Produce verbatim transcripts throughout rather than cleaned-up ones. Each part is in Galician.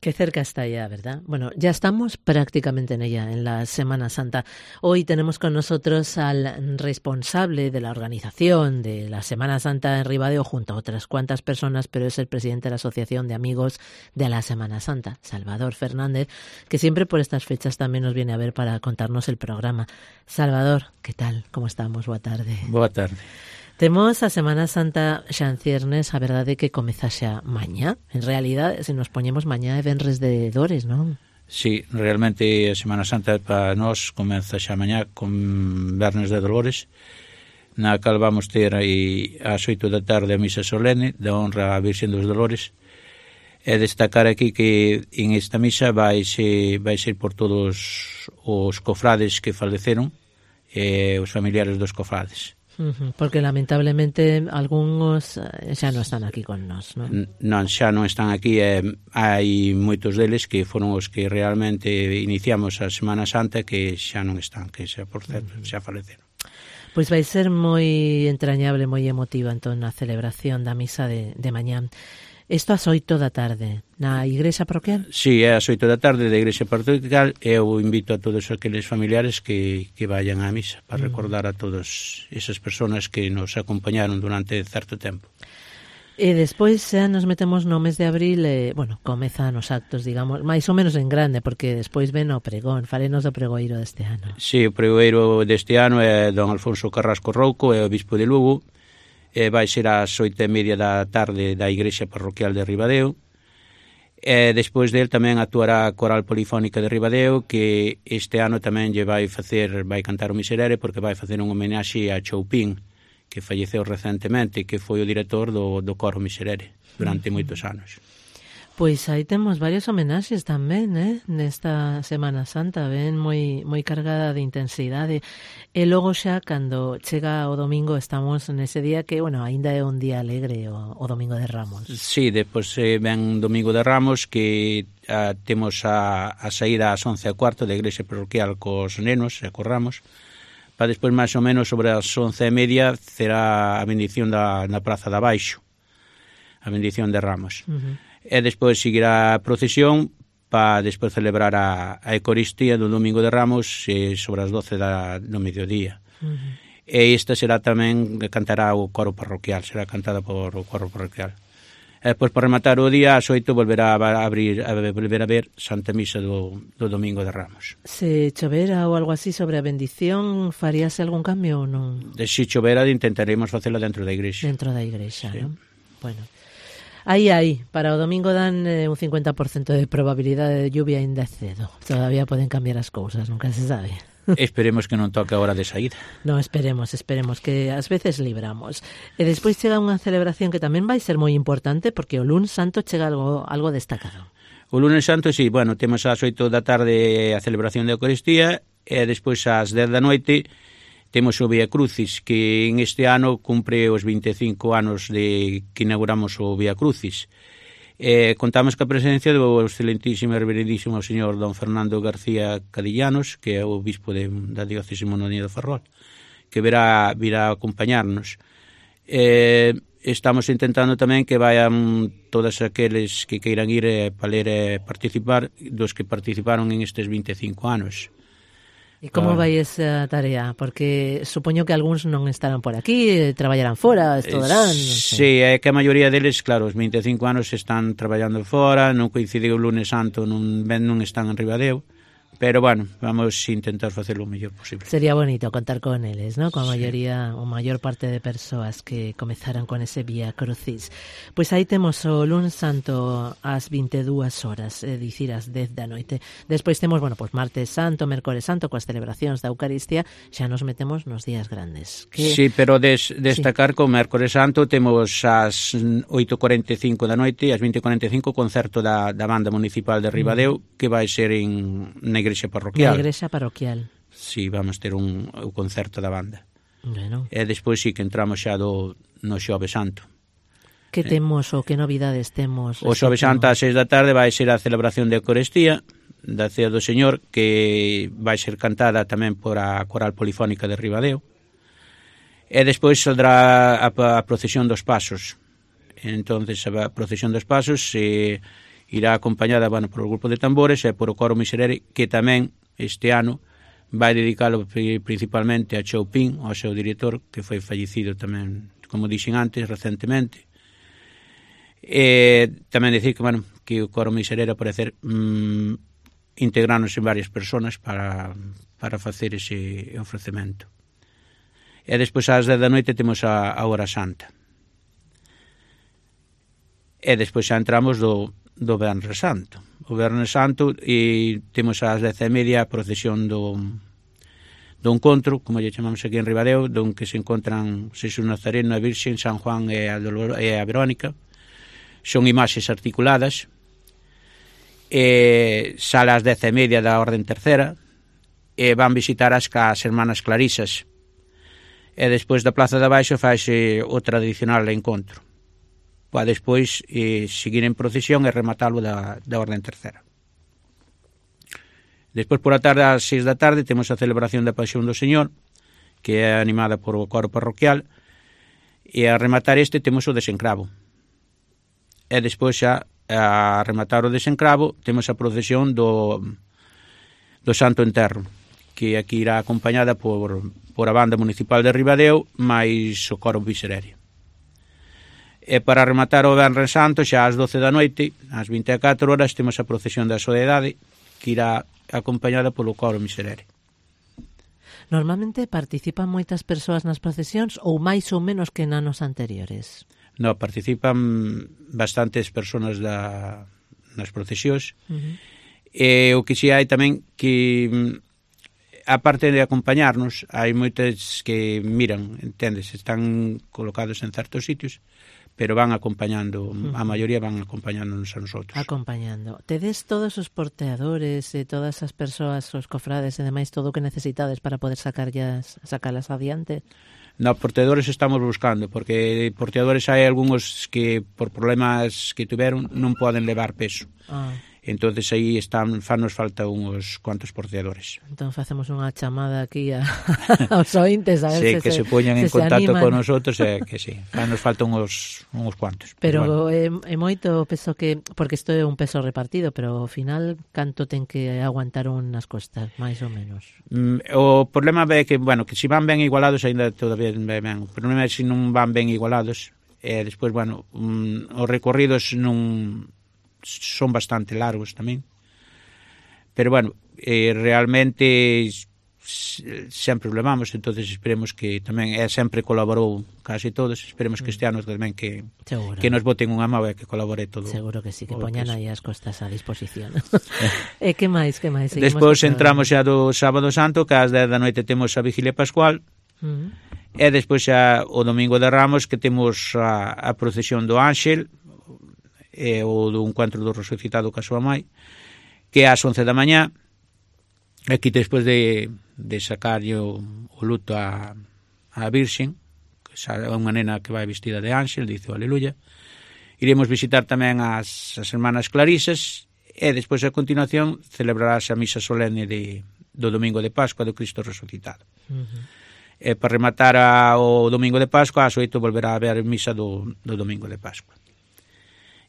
Qué cerca está ya, ¿verdad? Bueno, ya estamos prácticamente en ella, en la Semana Santa. Hoy tenemos con nosotros al responsable de la organización de la Semana Santa en Ribadeo, junto a otras cuantas personas, pero es el presidente de la Asociación de Amigos de la Semana Santa, Salvador Fernández, que siempre por estas fechas también nos viene a ver para contarnos el programa. Salvador, ¿qué tal? ¿Cómo estamos? Boa tarde. Boa tarde. Temos a Semana Santa xa en ciernes, a verdade que comeza xa mañá. En realidad, se nos poñemos mañá é venres de Dores, non? Sí, realmente a Semana Santa para nós comeza xa mañá con Vernes de Dolores, na cal vamos ter aí ás oito da tarde a misa solene da honra á Virxen dos Dolores. E destacar aquí que en esta misa vai ser, vai ser por todos os cofrades que faleceron e os familiares dos cofrades. Uh-huh, porque lamentablemente algúns xa non están aquí con nós, non? Non, xa non están aquí, eh, hai moitos deles que foron os que realmente iniciamos a Semana Santa que xa non están, que xa, por certo, uh-huh. xa faleceron. Pois vai ser moi entrañable, moi emotiva entón a celebración da misa de, de mañán. Isto ás oito da tarde, na igrexa parroquial? Sí, é ás oito da tarde da igrexa parroquial. Eu invito a todos aqueles familiares que, que vayan á misa para mm. recordar a todas esas personas que nos acompañaron durante certo tempo. E despois xa nos metemos no mes de abril, e, bueno, comezan os actos, digamos, máis ou menos en grande, porque despois ven o pregón. Falenos do pregoeiro deste ano. Sí, o pregoeiro deste ano é don Alfonso Carrasco Rouco, é o bispo de Lugo. Eh, vai ser ás oito e media da tarde da igrexa parroquial de Ribadeo. E despois del tamén actuará a Coral Polifónica de Ribadeo, que este ano tamén lle vai facer, vai cantar o Miserere, porque vai facer un homenaxe a Choupín, que falleceu recentemente, que foi o director do, do coro Miserere durante uh-huh. moitos anos. Pois aí temos varios homenaxes tamén, eh? Nesta Semana Santa, ven moi moi cargada de intensidade. E logo xa, cando chega o domingo, estamos nese día que, bueno, aínda é un día alegre, o, o Domingo de Ramos. Sí, depois eh, ven Domingo de Ramos, que ah, temos a, a saída ás once e cuarto da igrexa parroquial cos nenos e cos ramos, para despois máis ou menos sobre as once e media será a bendición da, na Praza de Abaixo, a bendición de Ramos. Uh-huh. E despois seguirá a procesión para despois celebrar a, a Eucaristía do Domingo de Ramos eh, sobre as doce da, do mediodía. Uh-huh. E esta será tamén, cantará o coro parroquial, será cantada por o coro parroquial. E depois, para rematar o día, ás oito volverá a abrir, a volver a ver Santa Misa do, do Domingo de Ramos. Se chovera ou algo así sobre a bendición, faríase algún cambio ou non? De se chovera, intentaremos facela dentro da igrexa. Dentro da igrexa, sí. Non? Bueno. Aí, aí, para o domingo dan eh, un cincuenta por ciento de probabilidade de lluvia ainda cedo. Todavía poden cambiar as cousas, nunca se sabe. Esperemos que non toque a hora de saída. No, esperemos, esperemos, que ás veces libramos. E despois chega unha celebración que tamén vai ser moi importante, porque o luns santo chega algo, algo destacado. O lunes santo, sí, bueno, temos ás oito da tarde a celebración da Eucaristía, e despois ás dez da noite temos o Vía Crucis, que en este ano cumpre os vinte e cinco anos de que inauguramos o Vía Crucis. Eh, contamos ca presencia do excelentísimo e reverendísimo señor don Fernando García Cadillanos, que é o bispo de, da diócese mononia de Ferrol, que verá, virá a acompañarnos. Eh, estamos intentando tamén que vayan todos aqueles que queiran ir eh, para ler e participar, dos que participaron en estes vinte e cinco anos. E como vai esa tarea? Porque supoño que algúns non estarán por aquí, traballarán fora, estudarán, non sei. Sí, é que a maioría deles, claro, os vinte e cinco anos están traballando fora, non coincide o lunes santo, non, non están en Ribadeo, pero, bueno, vamos a intentar facelo o mellor posible. Sería bonito contar con eles, ¿no? Con a maioría, o maior parte de persoas que comezaran con ese Vía Crucis. Pois aí temos o lunes santo ás vinte e dúas horas, é dicir, ás dez da noite. Despois temos, bueno, pois martes santo, mércores santo, coas celebracións da Eucaristía, xa nos metemos nos días grandes. Que... Sí, pero des, destacar sí. que o mércores santo temos ás oito e cuarenta e cinco da noite e ás vinte e cuarenta e cinco o concerto da, da banda municipal de Ribadeo, mm. que vai ser en, na igrexa parroquial. Na igrexa parroquial. Sí, vamos ter un, un concerto da banda. Bueno. E despois sí que entramos xa do, no Xove Santo. Que temos ou que novidades temos? O Xove Santo ás seis da tarde vai ser a celebración de Eucaristía da Cea do Señor, que vai ser cantada tamén por a Coral Polifónica de Ribadeo. E despois saldrá a, a procesión dos Pasos. Entonces a procesión dos Pasos se... irá acompañada, bueno, por o grupo de tambores e por o coro Miserere, que tamén este ano vai dedicalo principalmente a Choupin, ao seu director, que foi fallecido tamén, como dixen antes, recentemente. E tamén dicir que, bueno, que o coro Miserere, ao parecer, mmm, integrarnos en varias personas para, para facer ese ofrecemento. E despois ás dez da noite temos a, a Hora Santa. E despois xa entramos do, do Venres Santo. O Venres Santo e temos ás dez e media a procesión do, do encontro, como lle chamamos aquí en Ribadeo, donde se encontran Xesús Nazareno, a Virxen, San Juan e a, Dolor, e a Verónica. Son imaxes articuladas. E sale ás dez e media da Orden Tercera e van visitar as, as hermanas Clarisas. E despois da Plaza de Abaixo faise o tradicional encontro. Para despois eh, seguir en procesión e rematalo da, da Orden Tercera. Despois por a tarde, ás seis da tarde, temos a celebración da Pasión do Señor, que é animada por o coro parroquial, e a rematar este temos o desencravo. E despois xa, a rematar o desencravo, temos a procesión do, do Santo Enterro, que aquí irá acompañada por, por a banda municipal de Ribadeo, máis o coro Miserere. E para rematar o Venres Santo, xa ás doce da noite, ás vinte e catro horas, temos a procesión da Soedade, que irá acompañada polo coro Miserere. Normalmente participan moitas persoas nas procesións ou máis ou menos que en anos anteriores? No, participan bastantes persoas da, nas procesións. Uh-huh. E o que si hai tamén que, aparte de acompañarnos, hai moitas que miran, entendes, están colocados en certos sitios, pero van acompañando, uh-huh. a maioría van acompañándonos a nosotros. Acompañando. Tedes todos os porteadores e todas as persoas, os cofrades e demais, todo o que necesitades para poder sacarlas, sacalas adiante? No, porteadores estamos buscando, porque porteadores hai algúns que por problemas que tiveron non poden levar peso. Ah. Entonces aí están, fanos falta uns cuantos porteadores. Entón facemos unha chamada aquí a, aos ointes a ver sí, se, que se, se poñan en se contacto con nosotros e que sí, fanos falta uns, uns cuantos. Pero, pero bueno. é, é moito peso que, porque isto é un peso repartido, pero ao final canto ten que aguantar unhas costas, máis ou menos? Mm, o problema é que, bueno, que se van ben igualados ainda todavía ben. O problema é que se non van ben igualados e despois, bueno, um, os recorridos non son bastante largos tamén, pero bueno, eh, realmente sempre o levamos, entonces esperemos que tamén é sempre colaborou casi todos, esperemos que este ano tamén que Seguro. que nos boten unha mão e que colabore todo. Seguro que sí, que poñan aí as costas a disposición. E que máis, que máis? Despois entramos xa do Sábado Santo, que ás dez da noite temos a Vigilia Pascual, uh-huh. e despois xa o Domingo de Ramos, que temos a, a procesión do Ángel, e o do encontro do resucitado ca súa mai, que é ás once da mañá. Aquí despois de, de sacarlle o, o luto a, a Virxen, que é unha nena que vai vestida de ángel, dice o aleluya, iremos visitar tamén as, as hermanas Clarisas e despois a continuación celebrarás a misa solene de, do Domingo de Pascua do Cristo resucitado. Uh-huh. E para rematar a, o Domingo de Pascua, ás oito volverá a haber misa do, do Domingo de Pascua.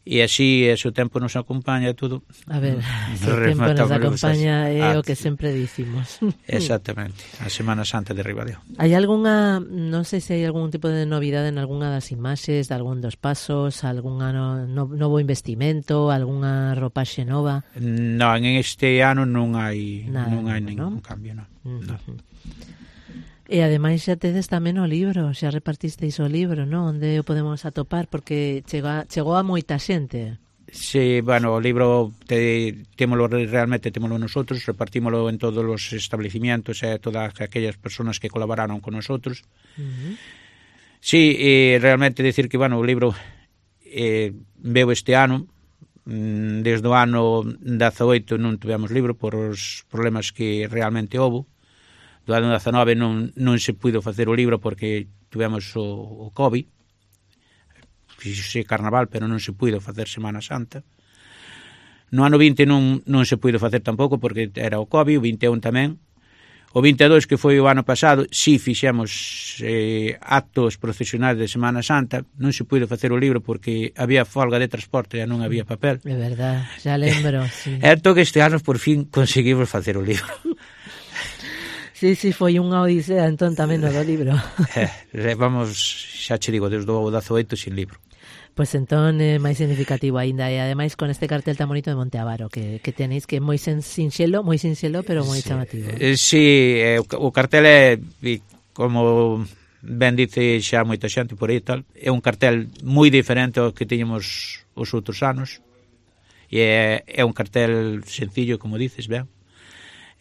E así, ese tempo nos acompaña todo. A ver, se o tempo nos acompaña é ah, o que sempre dicimos. Exactamente, a Semana Santa de Ribadeo. Hai algunha, non sei se hai algún tipo de novidade en algunha das imaxes, de algún dos pasos, algún no, no, novo investimento, algunha ropaxe nova? Non, en este ano non hai Nada, non hai ningún ¿no? cambio, non. Uh-huh. No. E ademais xa tedes tamén o libro, xa repartisteis o libro, non? Onde o podemos atopar, porque chega, chegou a moita xente. Sí, bueno, o libro te, témolo, realmente témolo nosotros, repartímolo en todos os establecimientos e eh, todas aquellas personas que colaboraron con nosotros. Uh-huh. Sí, e realmente decir que, bueno, o libro eh, veo este ano, desde o ano dezaoito non tivemos libro por os problemas que realmente houve. Do ano dezanove non, non se puido facer o libro porque tivemos o, o COVID, fixose carnaval, pero non se puido facer Semana Santa. No ano vinte non, non se puido facer tampouco porque era o COVID, o vinte e un tamén. O vinte e dous, que foi o ano pasado, si fixemos eh, actos procesionais de Semana Santa. Non se puido facer o libro porque había folga de transporte e non había papel. É verdad, xa lembro, sí. É entón que este ano por fin conseguimos facer o libro. Sí, sí, foi unha odisea entón tamén no do libro. eh, vamos, xa che digo, desde o dezaoito sin libro. Pois pues entón é máis significativo aínda, e ademais con este cartel tan bonito de Monte Avaro que, que tenéis, que é moi sinxelo, moi sinxelo, pero moi sí, chamativo. Eh, sí, eh, o cartel é, como ben dice xa moita xente por aí tal, é un cartel moi diferente ao que tiñamos os outros anos, e é, é un cartel sencillo, como dices, ben.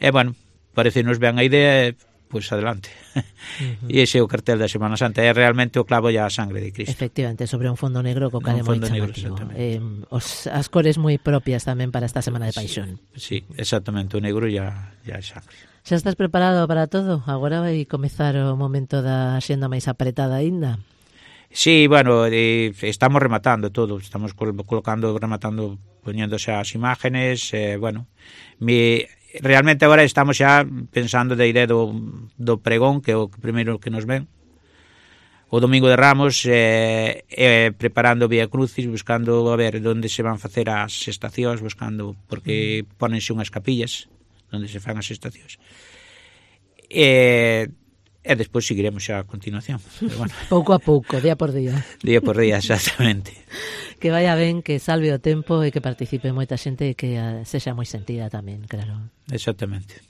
E, bueno, parecenos ben a idea, pois pues adelante. Uh-huh. E ese é o cartel da Semana Santa, é realmente o clavo e a sangre de Cristo. Efectivamente, sobre un fondo negro co cal é moi chamativo. Eh, os, as cores moi propias tamén para esta Semana de Paixón. Sí, sí, exactamente, o negro e a, e a sangre. Xa estás preparado para todo? Agora vai comezar o momento da xenda máis apretada aínda. Sí, bueno, eh, estamos rematando todo, estamos col- colocando, rematando, poñéndose as imágenes, eh, bueno, mi... realmente agora estamos xa pensando da idea do, do pregón, que é o primeiro que nos ven o domingo de Ramos, eh, eh, preparando Vía Crucis, buscando a ver onde se van facer as estacións, buscando, porque ponense unhas capillas onde se fan as estacións, e, e despois seguiremos xa a continuación, pero bueno. Pouco a pouco, día por día. Día por día, exactamente. Que vaya ben, que salve o tempo e que participe moita xente e que sexa moi sentida tamén, claro. Exactamente.